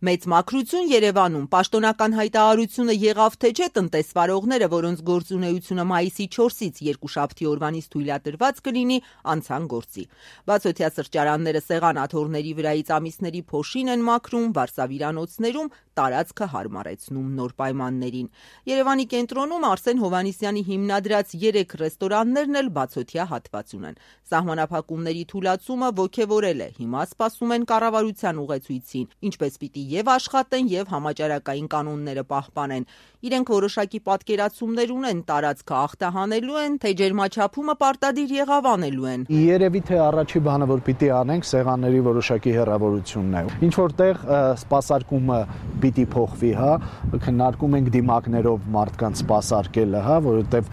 Մեծ մաքրություն Երևանում, պաշտոնական հայտարարությունը եղավ թե չէ տնտեսվարողները, որոնց գործունեությունը մայիսի 4-ից երկուշաբթի օրվանից թույլատրված կլինի, անցան գործի։ Բացօթյա սրճարանները սեղանաթոռների վրայից ամիսների փոշին են մաքրում, վարսավիրանոցներում տարածքը հարմարեցնում նոր պայմաններին։ Երևանի կենտրոնում Արսեն Հովհաննիսյանի հիմնադրած 3 ռեստորաններն էլ բացօթյա հատված ունեն։ Սահմանափակումների թուլացումը ոգևորել է, հիմա սպասում են կառավարության ուղեցույցին, ինչպես պիտի եւ աշխատեն եւ համաճարակային կանոնները պահպանեն։ Իրենք որոշակի պատկերացումներ ունեն, տարածքը ախտահանելու են, թե ջերմաչափումը պարտադիր եղավ անելու են։ Երևի թե առաջի բանը, որ պիտի անենք, սեղանների որոշակի հեռավորությունն է։ Ինչ որտեղ սպասարկումը պիտի փոխվի, քննարկում ենք դիմակներով մարդկանց սպասարկելը, որովհետև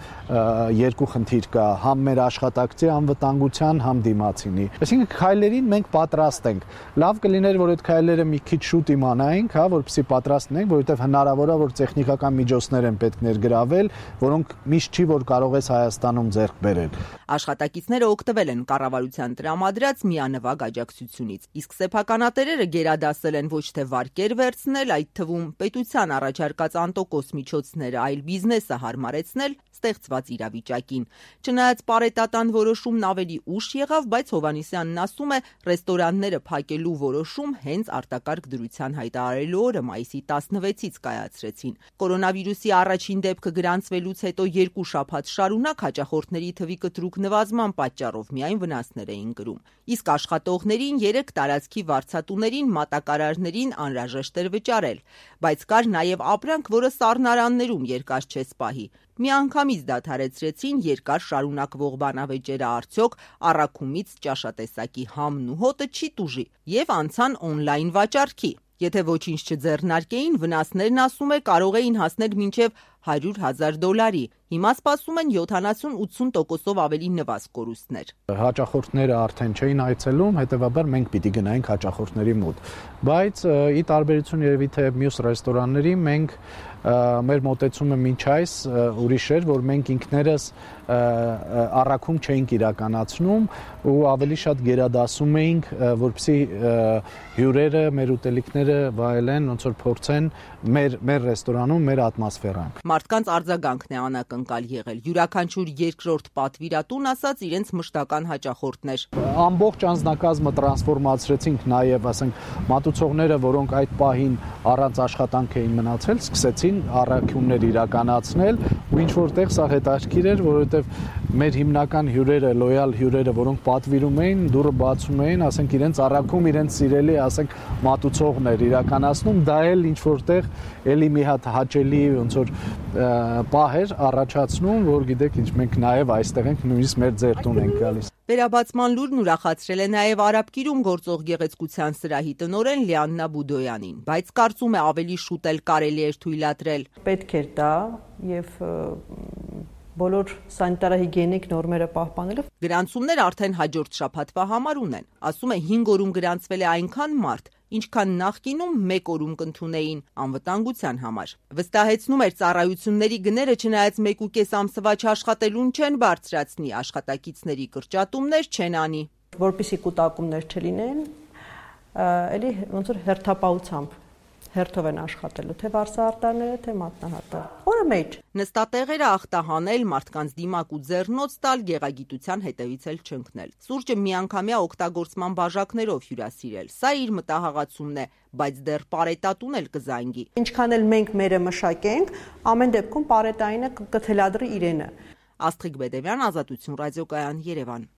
երկու խնդիր կա, համ մեր աշխատակցի անվտանգության, համ դիմացինի։ Այսինքն քայլերին մենք պատրաստ ենք։ Լավ կլիներ, որ այդ քայլերը մի քիչ շուտ իմանայինք, որպեսզի պատրաստ լինենք, որովհետև հնարավոր է, որ տեխնիկական միջոցներ են պետք ներգրավել, որոնք միշտ չի, որ կարող ես Հայաստանում ձեռք բերել։ Աշխատակիցները օգտվել են կառավարության տրամադրած միանվագ աջակցությունից, իսկ սեփականատերերը գերադասել են ոչ թե վարկեր վերցնել, այդ թվում պետության առաջարկած անտոկոս միջոցները, այլ բիզնեսը հարմարեցնել ստեղծված իրավիճակին։ Չնայած պարետատան որոշումն ավելի ուշ եղավ, բայց Հովհաննիսյանն ասում է, ռեստորանները փակելու որոշում հենց արտակարգ դրության հայտարարելու օրը մայիսի 16-ից կայացրեցին։ Կորոնավիրուսի առաջին դեպքը գրանցվելուց հետո 2 շաբաթ շարունակ հաճախորդների թվի կտրուկ նվազման պատճառով միայն վնասներ էին կրում։ Իսկ աշխատողներին 3 տարածքի վարձատուներին մատակարարներին անհրաժեշտ էր վճարել, բայց կար նաև ապրանք, որը սառնարաններում երկար չես պահի։ Միանգամից դադարեցրեցին երկար շարունակվող բանավեճերը, արդյոք առաքումից ճաշատեսակի համն ու հոտը չի տուժի, եւ անցան օնլայն վաճառքի։ Եթե ոչինչ չձեռնարկեին, վնասներն, ասում է, կարող էին հասնել մինչև $100,000։ Հիմա սպասում են 70-80% ավելի նվազ կորուստներ։ Հաճախորդները արդեն չէին այցելում, հետևաբար մենք պիտի գնայինք հաճախորդների մոտ։ Բայց ի տարբերություն երևի թե մյուս ռեստորանների, մենք մեր մոտեցումը մինչ այս ուրիշ էր, որ մենք ինքներս առաքում չէինք իրականացնում ու ավելի շատ գերադասում էինք, որպեսզի հյուրերը, մեր ուտելիքները վայելեն, ոնց որ փորձեն մեր ռեստորանում մեր ատմոսֆերան։ Մարդկանց արձագանքն է անակնկալ եղել։ Յուրաքանչյուր երկրորդ պատվիրատուն ասաց իրենց մշտական հաճախորդներ։ Ամբողջ անձնակազմը տրանսֆորմացրեցինք, նաև ասենք մատուցողները, որոնք այդ պահին առանց աշխատանք էին մնացել, սկսեցին առաքումներ իրականացնել ու ինչ որտեղ սա հետաքրքիր էր, որովհետև մեր հիմնական հյուրերը, լոյալ հյուրերը, որոնք պատվիրում էին, դուռը բացում էին, ասենք իրենց առաքում, իրենց սիրելի, ասենք մատուցողներ իրականացնում, դա էլ ինչ որտեղ էլի մի հատ հաճելի ոնց որ պահ էր առաջացնում, որ գիտեք ինչ, մենք նաև այստեղ ենք, նույնիսկ մեր ձեռտուն ենք գալիս։ Վերաբացման լուրն ուրախացրել է նաև Արաբկիրում գործող գեղեցկության սրահի տնօրեն Լիաննա Բուդոյանին, բայց կարծում է ավելի շուտ էլ կարելի էր թույլատրել։ Պետք էր դա եւ բոլոր սանիտարահիգիենիկ նորմերը պահպանելով։ Գրանցումներ արդեն հաջորդ շաբաթվա համար ունեն։ Ասում է 5 օրում գրանցվել է այնքան մարդ, ինչքան նախկինում 1 օրում կընդունեին անվտանգության համար։ Վստահեցնում էր, ծառայությունների գները չնայած 1.5 ամսվա չաշխատելուն չեն բարձրացնի, աշխատակիցների կրճատումներ չեն անի։ Որպեսզի կուտակումներ չլինեն, էլի ոնց որ հերթապահությամբ հերթով են աշխատելու, թե վարսահարտարները, թե մատնահարտարը։ Օրը մեջ։ Նստատեղերը ախտահանել, մարդկանց դիմակ ու ձեռնոց տալ, գեղագիտության հետևից էլ չընկնել։ Սուրճը միանգամյա օգտագործման բաժակներով հյուրասիրել։ Սա իր մտահղացումն է, բայց դեռ պարետատուն էլ կզանգի։ Ինչքան էլ մենք մերը մշակենք, ամեն դեպքում պարետայինը կթելադրի իրենը։ Աստղիկ Բեդևյան, Ազատություն ռադիոկայան, Երևան։